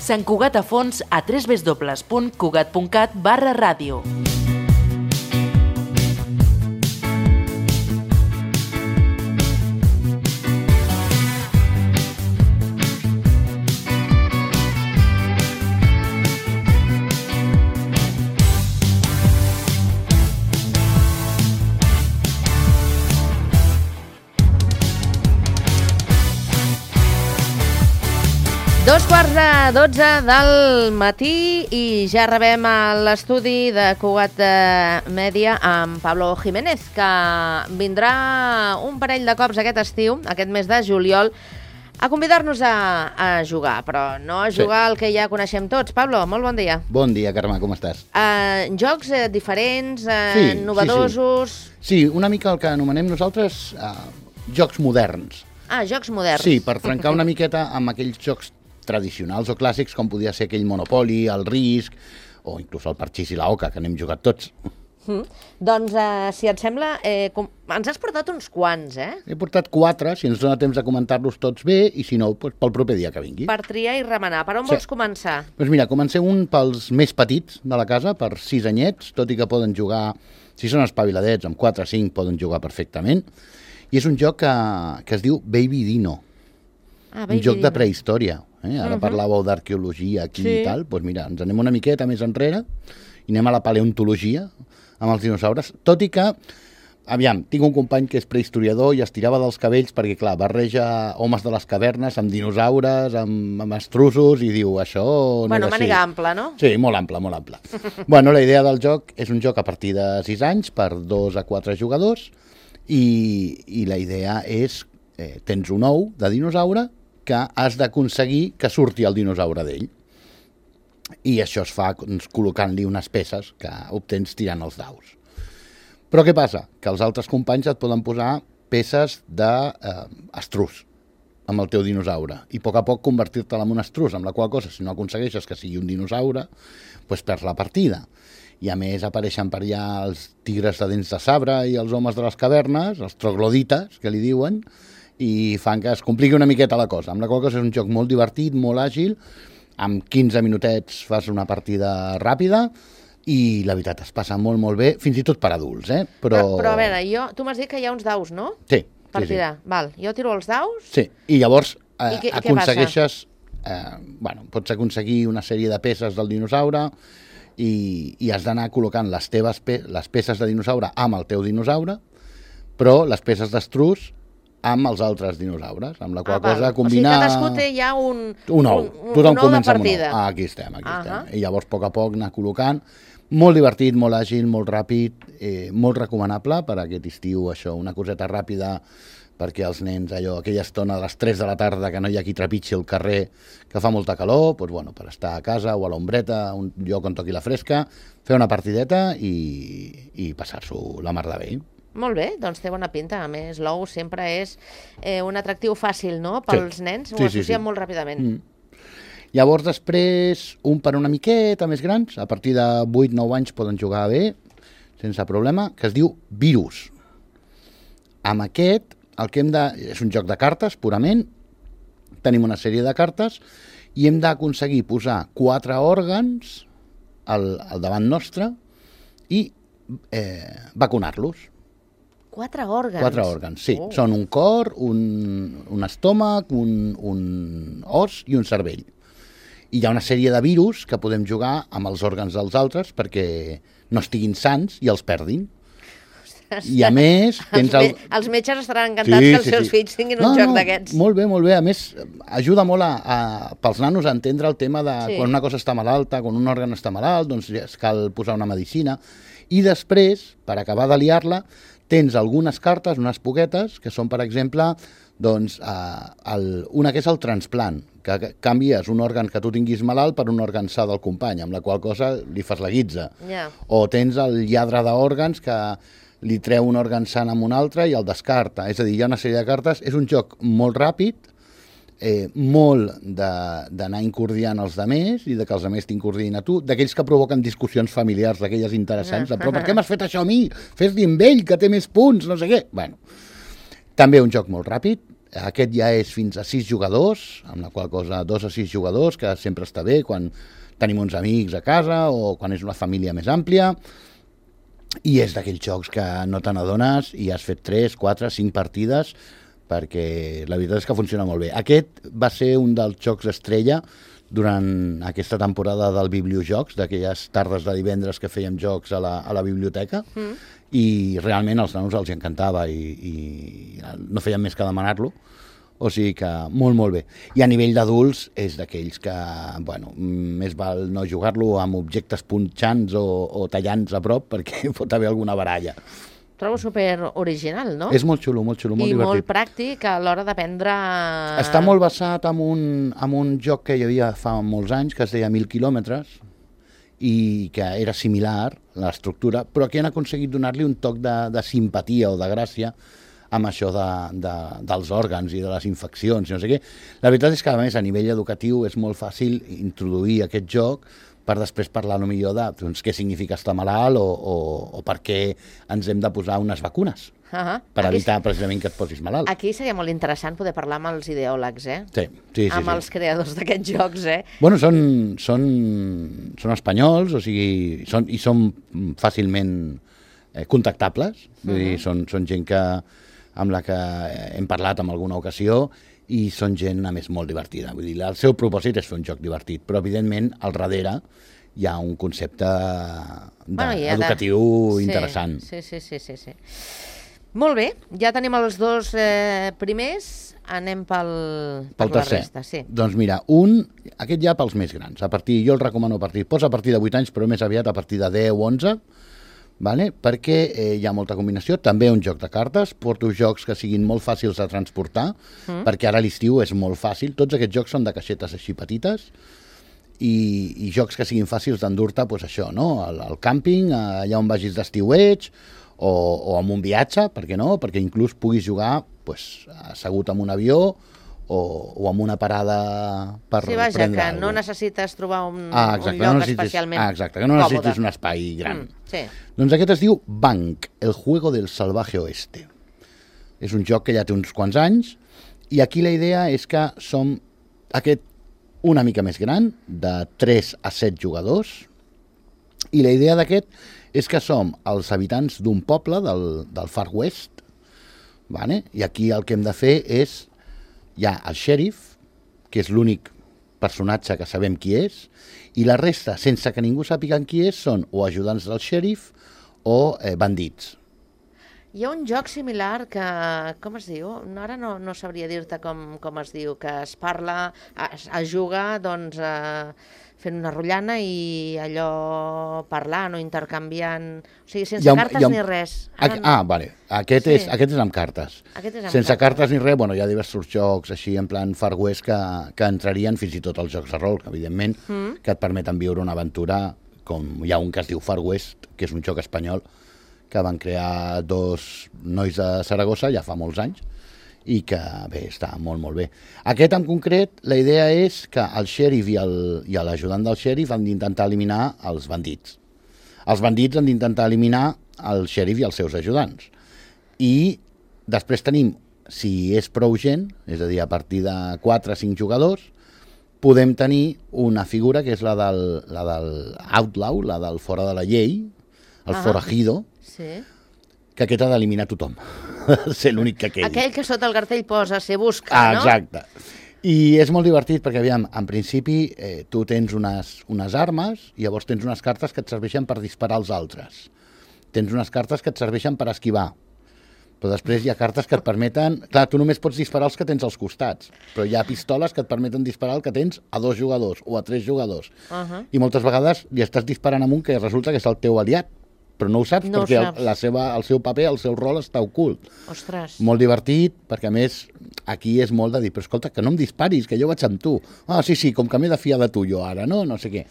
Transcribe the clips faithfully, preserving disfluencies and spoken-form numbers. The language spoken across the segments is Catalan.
Sant Cugat a Fons a w w w punt cugat punt cat barra ràdio. Dos quarts de dotze del matí i ja rebem a l'estudi de Cugat Mèdia amb Pablo Jiménez, que vindrà un parell de cops aquest estiu, aquest mes de juliol, a convidar-nos a, a jugar, però no a jugar sí. al que ja coneixem tots. Pablo, molt bon dia. Bon dia, Carme, com estàs? Uh, jocs uh, diferents, uh, sí, novedosos... Sí, sí. sí, una mica el que anomenem nosaltres uh, jocs moderns. Ah, jocs moderns. Sí, per trencar una miqueta amb aquells jocs tradicionals o clàssics, com podia ser aquell Monopoly, el Risk, o inclús el Parxís i la Oca, que n'hem jugat tots. Mm. Doncs, eh, si et sembla, eh, com... ens has portat uns quants, eh? He portat quatre, si ens dona temps de comentar-los tots bé, i si no, doncs pel proper dia que vingui. Per triar i remenar. Per on sí. vols començar? Doncs mira, comencem un pels més petits de la casa, per sis anyets, tot i que poden jugar, si són espaviladets, amb quatre o cinc poden jugar perfectament, i és un joc que, que es diu Baby Dino. Ah, un Baby joc Dino. de prehistòria. Eh? Ara uh -huh. parlàveu d'arqueologia aquí sí. i tal, doncs mira, ens anem una miqueta més enrere i anem a la paleontologia amb els dinosaures, tot i que, aviam, tinc un company que és prehistoriador i es tirava dels cabells perquè, clar, barreja homes de les cavernes amb dinosaures, amb, amb estruços, i diu, això no bueno, és així. màniga ampla, no? Sí, molt ample, molt ample. Bueno, la idea del joc és un joc a partir de sis anys per dos a quatre jugadors i, i la idea és, eh, tens un ou de dinosaure que has d'aconseguir que surti el dinosaure d'ell. I això es fa doncs, col·locant-li unes peces que obtens tirant els daus. Però què passa? Que els altres companys et poden posar peces d'estrus eh, amb el teu dinosaure i a poc a poc convertir-te'l en un estrus, amb la qual cosa, si no aconsegueixes que sigui un dinosaure, doncs perds la partida. I a més apareixen per allà els tigres de dents de sabre i els homes de les cavernes, els troglodites, que li diuen, i fan que es compliqui una miqueta la cosa. Amb la qual cosa és un joc molt divertit, molt àgil, amb quinze minutets fas una partida ràpida i la veritat es passa molt, molt bé, fins i tot per adults, eh? Però, però, però a veure, jo, tu m'has dit que hi ha uns daus, no? Sí. Per sí, tirar. Sí. Val, jo tiro els daus... Sí, i llavors eh, I què, aconsegueixes... Eh, bueno, pots aconseguir una sèrie de peces del dinosaure i, i has d'anar col·locant les teves pe les peces de dinosaure amb el teu dinosaure, però les peces d'estrus amb els altres dinosaures, amb la qual ah, cosa combinar... O sigui, cadascú té ja un... Un ou, un, tothom un comença amb un un ou. Ah, aquí estem, aquí uh -huh. estem. I llavors, a poc a poc, anar col·locant. Molt divertit, molt àgil, molt ràpid, eh, molt recomanable per aquest estiu, això, una coseta ràpida perquè els nens, allò, aquella estona de les tres de la tarda que no hi ha qui trepitgi el carrer, que fa molta calor, doncs, bueno, per estar a casa o a l'ombreta, un lloc on toqui la fresca, fer una partideta i, i passar-s'ho la mar de bé. Molt bé, doncs té bona pinta. A més, l'ou sempre és eh, un atractiu fàcil, no?, pels sí. nens, ho sí, associen sí, sí. molt ràpidament. Mm. Llavors, després, un per una miqueta més grans, a partir de vuit nou anys poden jugar bé, sense problema, que es diu Virus. Amb aquest, el que hem de... és un joc de cartes, purament, tenim una sèrie de cartes, i hem d'aconseguir posar quatre òrgans al, al davant nostre i eh, vacunar-los. Quatre òrgans? Quatre òrgans, sí. Oh. Són un cor, un, un estómac, un, un os i un cervell. I hi ha una sèrie de virus que podem jugar amb els òrgans dels altres perquè no estiguin sans i els perdin. Ostres. I a més... Els, el... els metges estaran encantats sí, que els sí, seus sí. fills tinguin no, un joc no, d'aquests. Molt bé, molt bé. A més, ajuda molt a, a, pels nanos a entendre el tema de sí. quan una cosa està malalta, quan un òrgan està malalt, doncs es cal posar una medicina. I després, per acabar de liar-la, tens algunes cartes, unes poquetes, que són, per exemple, doncs, eh, el, una que és el transplant, que canvies un òrgan que tu tinguis malalt per un òrgan sa del company, amb la qual cosa li fas la guitza. Yeah. O tens el lladre d'òrgans que li treu un òrgan sant amb un altre i el descarta. És a dir, hi ha una sèrie de cartes. És un joc molt ràpid, eh, molt d'anar incordiant els demés i de que els demés t'incordin a tu, d'aquells que provoquen discussions familiars, d'aquelles interessants, de, però per què m'has fet això a mi? Fes-li amb ell, que té més punts, no sé què. Bueno, també un joc molt ràpid, Aquest ja és fins a sis jugadors, amb la qual cosa dos a sis jugadors, que sempre està bé quan tenim uns amics a casa o quan és una família més àmplia, i és d'aquells jocs que no te n'adones i has fet tres, quatre, cinc partides, perquè la veritat és que funciona molt bé. Aquest va ser un dels jocs estrella durant aquesta temporada del Bibliojocs, d'aquelles tardes de divendres que fèiem jocs a la, a la biblioteca, mm. i realment als nanos els encantava i, i no feien més que demanar-lo, o sigui que molt, molt bé. I a nivell d'adults és d'aquells que, bueno, més val no jugar-lo amb objectes punxants o, o tallants a prop perquè pot haver alguna baralla. Trobo super original, no? És molt xulo, molt xulo, molt I divertit. molt pràctic a l'hora d'aprendre... Està molt basat en un, en un joc que hi havia fa molts anys, que es deia Mil quilòmetres, i que era similar, l'estructura, però que han aconseguit donar-li un toc de, de simpatia o de gràcia amb això de, de, dels òrgans i de les infeccions, no sé què. La veritat és que, a més, a nivell educatiu és molt fàcil introduir aquest joc per després parlar millor de doncs, què significa estar malalt o, o, o per què ens hem de posar unes vacunes, uh-huh. per aquí, evitar precisament que et posis malalt. Aquí seria molt interessant poder parlar amb els ideòlegs, eh? Sí, sí, sí. Amb sí. els creadors d'aquests jocs, eh? Bueno, són, són, són espanyols, o sigui, són, i són fàcilment eh, contactables, vull uh-huh. dir, són, són gent que, amb la que hem parlat en alguna ocasió, i són gent, a més, molt divertida. Vull dir, el seu propòsit és fer un joc divertit, però, evidentment, al darrere hi ha un concepte de, bueno, ja educatiu de... interessant. Sí, sí, sí, sí, sí. Molt bé, ja tenim els dos eh, primers, anem pel, per pel la tercer. resta. Sí. Doncs mira, un, aquest ja pels més grans. A partir, jo el recomano a partir, posa a partir de vuit anys, però més aviat a partir de deu o onze, vale? Perquè eh, hi ha molta combinació, també un joc de cartes, porto jocs que siguin molt fàcils de transportar, mm. perquè ara l'estiu és molt fàcil, tots aquests jocs són de caixetes així petites, i, i jocs que siguin fàcils d'endur-te, doncs això, no? Al, al càmping, allà on vagis d'estiueig, o, o amb un viatge, per què no? Perquè inclús puguis jugar doncs, assegut en un avió, o, o amb una parada per sí, vaja, prendre que alguna cosa. no necessites trobar un, ah, exacte, un lloc no necessites, especialment ah, exacte, que no necessitis còmode. un espai gran. Mm, sí. Doncs aquest es diu Bank, el juego del salvaje oeste. És un joc que ja té uns quants anys, i aquí la idea és que som aquest una mica més gran, de tres a set jugadors, i la idea d'aquest és que som els habitants d'un poble del, del Far West, vale? I aquí el que hem de fer és hi ha el xèrif, que és l'únic personatge que sabem qui és, i la resta, sense que ningú sàpiga qui és, són o ajudants del xèrif o eh, bandits. Hi ha un joc similar que, com es diu? Ara no, no sabria dir-te com, com es diu, que es parla, es, es juga, doncs, eh, fent una rotllana i allò parlant o intercanviant, o sigui, sense ha, cartes un... ni res. Ara ah, no... vale, aquest, sí. és, aquest és amb cartes. Aquest és amb sense cartes. cartes ni res, bueno, hi ha diversos jocs així en plan Far West que, que entrarien fins i tot als jocs de rol, evidentment, mm. que et permeten viure una aventura, com hi ha un que es diu Far West, que és un joc espanyol, que van crear dos nois de Saragossa ja fa molts anys, i que, bé, està molt, molt bé. Aquest, en concret, la idea és que el xèrif i l'ajudant del xèrif han d'intentar eliminar els bandits. Els bandits han d'intentar eliminar el xèrif i els seus ajudants. I després tenim, si és prou gent, és a dir, a partir de quatre o cinc jugadors, podem tenir una figura que és la del, la del outlaw, la del fora de la llei, el ah, forajido, sí. que aquest ha d'eliminar tothom. Ser l'únic que quedi. Aquell que sota el cartell posa se busca, ah, no? Exacte. I és molt divertit perquè, aviam, en principi eh, tu tens unes, unes armes i llavors tens unes cartes que et serveixen per disparar als altres. Tens unes cartes que et serveixen per esquivar. Però després hi ha cartes que et permeten... Clar, tu només pots disparar els que tens als costats, però hi ha pistoles que et permeten disparar el que tens a dos jugadors o a tres jugadors. Uh-huh. I moltes vegades li estàs disparant amb un que resulta que és el teu aliat, però no ho saps no perquè ho saps. El, la seva, el seu paper, el seu rol està ocult. Ostres. Molt divertit, perquè a més aquí és molt de dir, però escolta, que no em disparis, que jo vaig amb tu. Ah, sí, sí, com que m'he de fiar de tu jo ara, no? No sé què.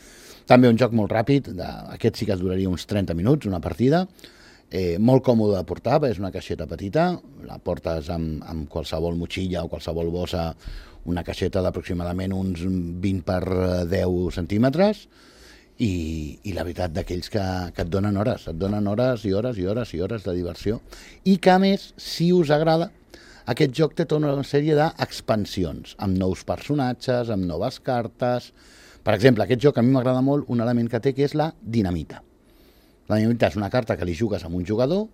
També un joc molt ràpid, de, aquest sí que duraria uns trenta minuts, una partida, eh, molt còmode de portar, és una caixeta petita, la portes amb, amb qualsevol motxilla o qualsevol bossa, una caixeta d'aproximadament uns vint per deu centímetres, I, i la veritat d'aquells que, que et donen hores, et donen hores i hores i hores i hores de diversió, i que a més, si us agrada, aquest joc té tota una sèrie d'expansions, amb nous personatges, amb noves cartes. Per exemple, aquest joc a mi m'agrada molt un element que té, que és la dinamita. La dinamita és una carta que li jugues amb un jugador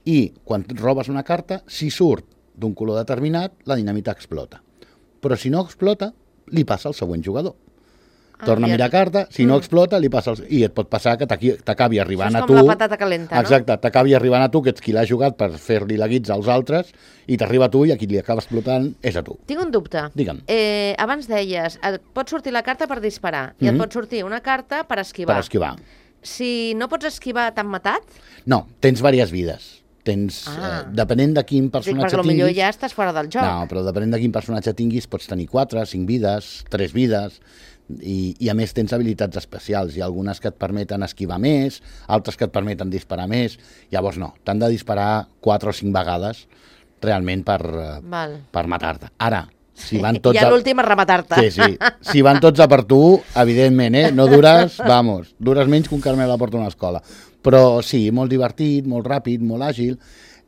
i quan robes una carta, si surt d'un color determinat, la dinamita explota. Però si no explota, li passa al següent jugador. Torna a mirar carta, si no explota, li passa... El... I et pot passar que t'acabi arribant a tu... Això és com la patata calenta, no? Exacte, t'acabi arribant a tu, que ets qui l'ha jugat per fer-li la guitza als altres, i t'arriba a tu i a qui li acaba explotant és a tu. Tinc un dubte. Digue'm. Eh, abans deies, et pot sortir la carta per disparar, i et pot sortir una carta per esquivar. Per esquivar. Si no pots esquivar, t'han matat? No, tens diverses vides. Tens, ah. eh, depenent de quin personatge Dic, tinguis... Perquè potser ja estàs fora del joc. No, però depenent de quin personatge tinguis, pots tenir quatre, cinc vides, tres vides... I, i a més tens habilitats especials. Hi ha algunes que et permeten esquivar més, altres que et permeten disparar més. Llavors no, t'han de disparar quatre o cinc vegades realment per, Val. per matar-te. Ara, si van tots... Ja l'últim és rematar-te. Sí, sí. Si van tots a per tu, evidentment, eh? No dures, vamos, dures menys que un Carmel a la porta d'una escola. Però sí, molt divertit, molt ràpid, molt àgil,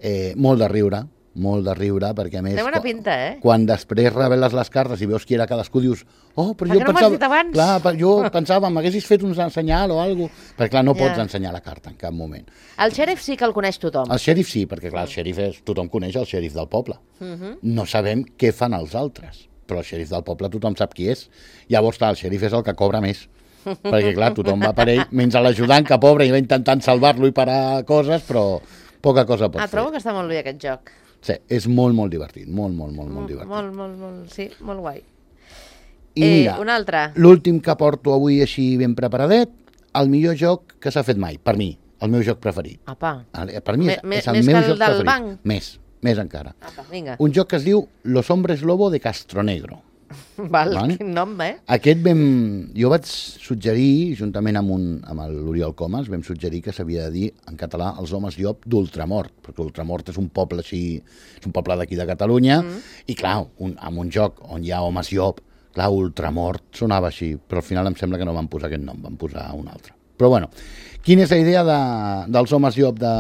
eh, molt de riure, molt de riure, perquè a més... Té bona pinta, eh? Quan després reveles les cartes i veus qui era cadascú, dius, oh, però per jo què no pensava... m'has dit abans? Clar, jo pensava, m'haguessis fet un senyal o alguna cosa, perquè clar, no Ja. pots ensenyar la carta en cap moment. El xèrif sí que el coneix tothom. El xèrif sí, perquè clar, el xèrif és... tothom coneix el xèrif del poble. Mhm. No sabem què fan els altres, però el xèrif del poble tothom sap qui és. Llavors, clar, el xèrif és el que cobra més. Perquè clar, tothom va per ell, menys l'ajudant que pobre i va intentant salvar-lo i parar coses, però poca cosa pot Ah, fer. trobo que està molt bé aquest joc. Sí, és molt, molt divertit, molt, molt, molt, molt divertit. Molt, molt, molt, sí, molt guai. I Eh, mira, un altre. l'últim que porto avui així ben preparadet, el millor joc que s'ha fet mai, per mi, el meu joc preferit. Apa, Per mi és, Me- és el més meu que el joc del preferit. banc? Més, més encara. apa, vinga. Un joc que es diu Los Hombres Lobo de Castronegro. Val, Vale. quin nom, eh? Aquest vam... Jo vaig suggerir, juntament amb, un, amb l'Oriol Comas, vam suggerir que s'havia de dir en català els homes llop d'Ultramort, perquè Ultramort és un poble així, és un poble d'aquí de Catalunya, mm. i clar, un, amb un joc on hi ha homes llop, clar, Ultramort sonava així, però al final em sembla que no van posar aquest nom, van posar un altre. Però bueno, quina és la idea de, dels homes llop de...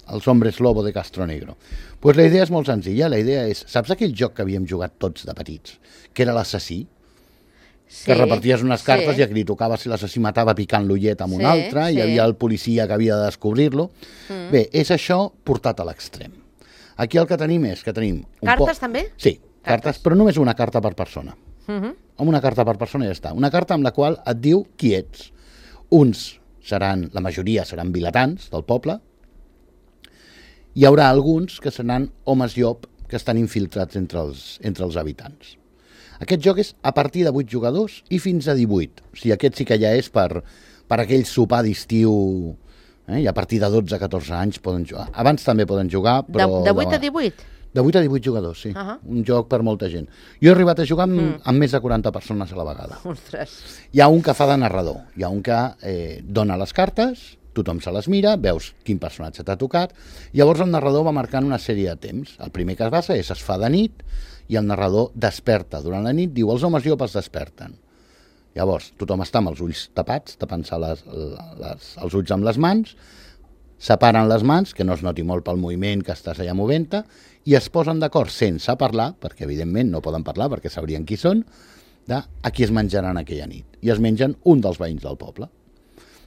els hombres lobo de Castronegro? Pues la idea és molt senzilla, la idea és, saps aquell joc que havíem jugat tots de petits, que era l'assassí? Sí, Que reparties unes cartes sí. i a qui li tocava si l'assassí matava picant l'ullet amb Sí, un altre, sí. i hi havia el policia que havia de descobrir-lo. Mm. Bé, és això portat a l'extrem. Aquí el que tenim és que tenim... Un Cartes po... també? Sí, cartes, cartes, però només una carta per persona. Uh -huh. Amb una carta per persona ja està. Una carta amb la qual et diu qui ets. Uns seran, la majoria seran vilatans del poble, hi haurà alguns que seran homes llop que estan infiltrats entre els, entre els habitants. Aquest joc és a partir de vuit jugadors i fins a divuit. O sigui, aquest sí que ja és per, per aquell sopar d'estiu, eh? I a partir de dotze a catorze anys poden jugar. Abans també poden jugar, però... De, de vuit a divuit? De vuit a divuit jugadors, sí. Uh -huh. Un joc per molta gent. Jo he arribat a jugar amb, Mm. amb més de quaranta persones a la vegada. Ostres. Hi ha un que fa de narrador, hi ha un que eh, dona les cartes, tothom se les mira, veus quin personatge t'ha tocat, llavors el narrador va marcant una sèrie de temps. El primer que es basa és es fa de nit i el narrador desperta durant la nit, diu els homes llop es desperten. Llavors tothom està amb els ulls tapats, tapant-se les, les, els ulls amb les mans, separen les mans, que no es noti molt pel moviment que estàs allà movent-te, i es posen d'acord sense parlar, perquè evidentment no poden parlar perquè sabrien qui són, de a qui es menjaran aquella nit. I es mengen un dels veïns del poble.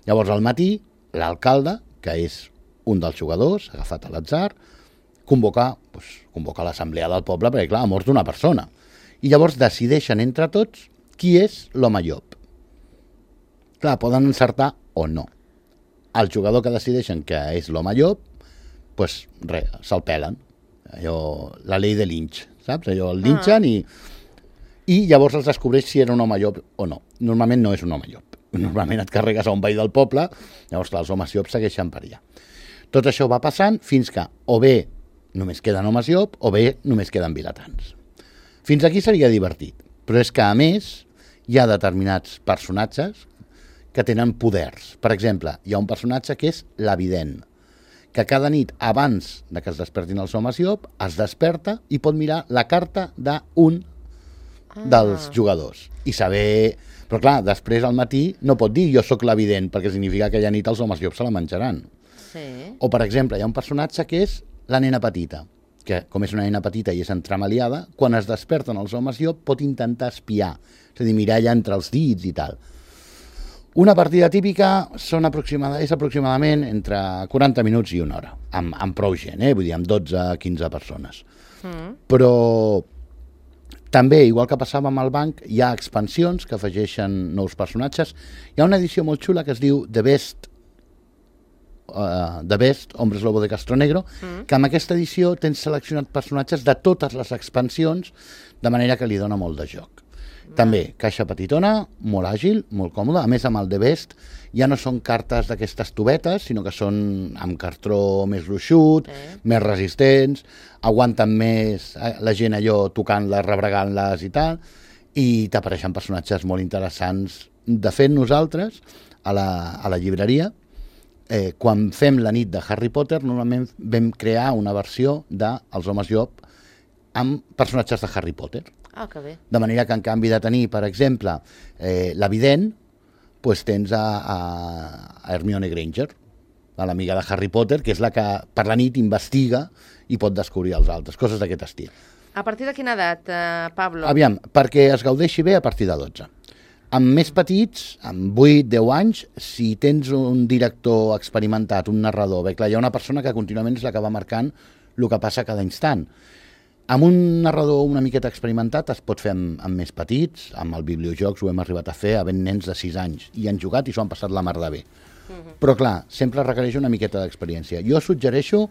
Llavors al matí, l'alcalde, que és un dels jugadors, agafat a l'atzar, convoca, doncs, convoca l'assemblea del poble, perquè clar, ha mort una persona. I llavors decideixen entre tots qui és l'home llop. Clar, poden encertar o no. El jugador que decideixen que és l'home llop, doncs res, se'l pelen. Allò, la llei de Lynch, saps? Allò el linxen i, i llavors els descobreix si era un home llop o no. Normalment no és un home llop. Normalment et carregues a un veí del poble, llavors clar, els homes llop segueixen per allà. Tot això va passant fins que o bé només queden homes llop o bé només queden vilatans. Fins aquí seria divertit, però és que a més hi ha determinats personatges que tenen poders. Per exemple, hi ha un personatge que és l'evident, que cada nit, abans de que es despertin els homes llop, es desperta i pot mirar la carta d'un ah. dels jugadors. I saber... Però clar, després al matí no pot dir jo sóc l'evident, perquè significa que aquella nit els homes llop se la menjaran. Sí. O, per exemple, hi ha un personatge que és la nena petita. que com és una nena petita i és entremaliada, quan es desperten els homes llop pot intentar espiar, és a dir, mirar allà entre els dits i tal. Una partida típica són aproximada, és aproximadament entre quaranta minuts i una hora, amb, amb prou gent, eh? Vull dir, amb dotze a quinze persones. Mm. Però també, igual que passava amb el banc, hi ha expansions que afegeixen nous personatges. Hi ha una edició molt xula que es diu The Best, uh, The Best, Hombres Lobo de Castronegro, mm. que amb aquesta edició tens seleccionat personatges de totes les expansions, de manera que li dona molt de joc. També, caixa petitona, molt àgil, molt còmoda. A més, amb el The Best ja no són cartes d'aquestes tubetes, sinó que són amb cartró més gruixut, eh. més resistents, aguanten més la gent allò tocant-les, rebregant-les i tal, i t'apareixen personatges molt interessants. De fet, nosaltres, a la, a la llibreria, eh, quan fem la nit de Harry Potter, normalment vam crear una versió dels Homes Llop amb personatges de Harry Potter. Ah, que bé. De manera que en canvi de tenir, per exemple, eh, l'Evident, pues tens a, a, a Hermione Granger, a l'amiga de Harry Potter, que és la que per la nit investiga i pot descobrir els altres, coses d'aquest estil. A partir de quina edat, eh, Pablo? Aviam, perquè es gaudeixi bé a partir de dotze. Amb més petits, amb vuit deu anys, si tens un director experimentat, un narrador, bé, clar, hi ha una persona que contínuament és la que va marcant el que passa cada instant. Amb un narrador una miqueta experimentat es pot fer amb, amb més petits, amb el Bibliojocs ho hem arribat a fer havent nens de sis anys, i han jugat i s'ho han passat la mar de bé. Uh-huh. Però clar, sempre requereix una miqueta d'experiència. Jo suggereixo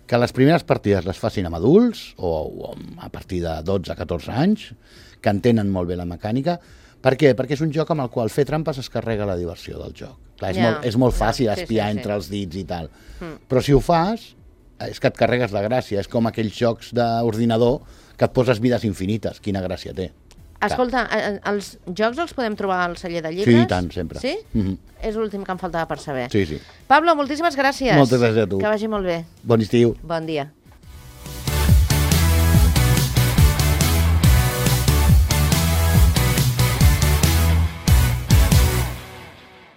que les primeres partides les facin amb adults, o, o a partir de dotze a catorze anys, que entenen molt bé la mecànica. Per què? Perquè és un joc amb el qual fer trampes es carrega la diversió del joc. Clar, és, yeah. molt, és molt fàcil yeah. espiar sí, sí, entre sí. els dits i tal. Mm. Però si ho fas, és que et carregues la gràcia. És com aquells jocs d'ordinador que et poses vides infinites. Quina gràcia té. Escolta, els jocs els podem trobar al celler de llibres? Sí, tant, sempre. Sí? Mm-hmm. És l'últim que em faltava per saber. Sí, sí. Pablo, moltíssimes gràcies. Moltes gràcies a tu. Que vagi molt bé. Bon estiu. Bon dia.